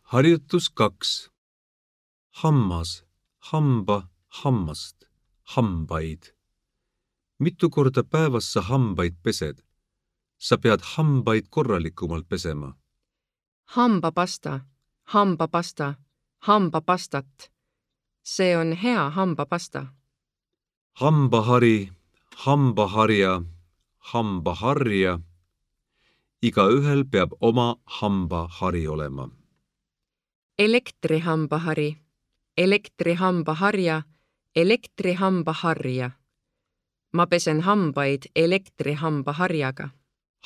Harjutus 2. Hammas, hamba, hammast, hambaid. Mitu korda päevas sa hambaid pesed? Sa pead hambaid korralikumalt pesema. Hambapasta, hambapasta, hambapastat. See on hea hambapasta. Hambahari, hambaharja, hambaharja. Igaühel peab oma hambahari olema. Elektrihambahari, elektrihambaharja, elektrihambaharja. Ma pesen hambaid elektrihambaharjaga.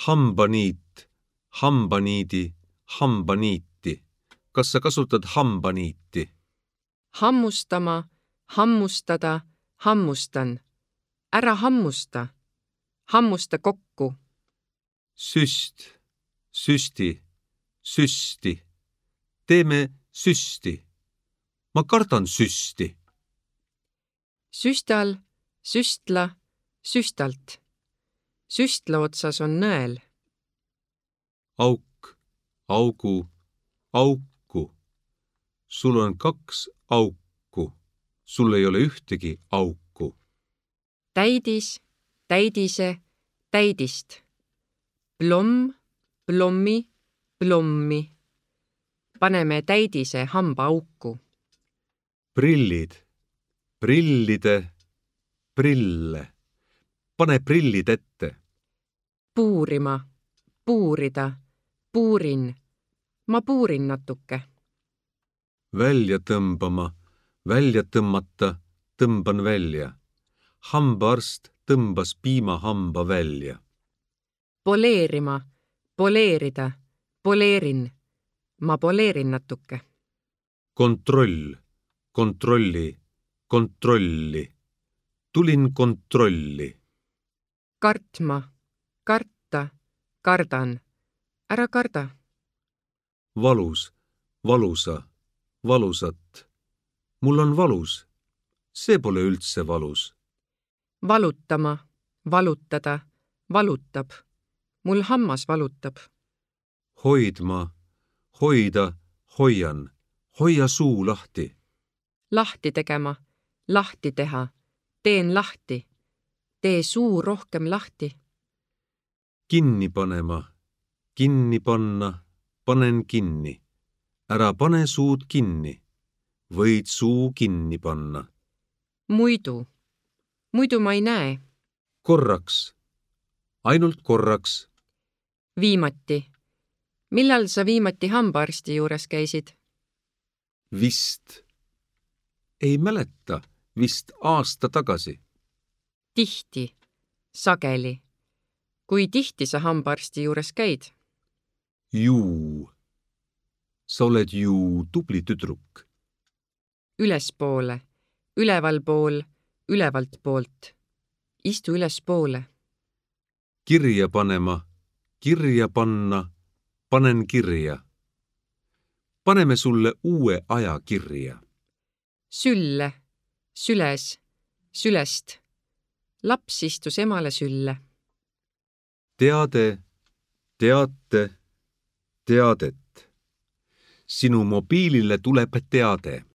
Hambaniit, hambaniidi, hambaniiti. Kas sa kasutad hambaniiti? Hammustama, hammustada, hammustan. Ära hammusta. Hammusta kokku. Süst, süsti, süsti. Teeme süsti. Ma kardan süsti. Süstal, süstla, süstalt. Süstla otsas on nõel. Auk, augu, auku. Sul on 2 auku. Sul ei ole ühtegi auku. Täidis, täidise, täidist. Plomm, plommi, plommi. Paneme täidise hambaauku. Prillid, prillide, prille. Pane prillid ette. Puurima, puurida, puurin. Ma puurin natuke. Välja tõmbama, välja tõmmata, tõmban välja. Hambaarst tõmbas piimahamba välja. Poleerima, poleerida, poleerin. Ma poleerin natuke. Kontroll, kontrolli, kontrolli. Tulin kontrolli. Kartma, karta, kardan. Ära karda. Valus, valusa, valusat. Mul on valus. See pole üldse valus. Valutama, valutada, valutab. Mul hammas valutab. Hoidma, hoida, hoian. Hoia suu lahti. Lahti tegema, lahti teha. Teen lahti. Tee suu rohkem lahti. Kinni panema, kinni panna, panen kinni. Ära pane suud kinni. Võid suu kinni panna. Muidu. Muidu ma ei näe. Korraks. Ainult korraks. Viimati. Millal sa viimati hambaarsti juures käisid? Vist. Ei mäleta. Vist aasta tagasi. Tihti. Sageli. Kui tihti sa hambaarsti juures käid? Juu. Sa oled ju tubli tüdruk. Ülespoole. Ülevalpool. Ülevalt poolt. Istu ülespoole. Kirja panema. Kirja panna. Panen kirja. Paneme sulle uue aja kirja. Sülle. Süles. Sülest. Laps istus emale sülle. Teade, teate, teadet. Sinu mobiilile tuleb teade.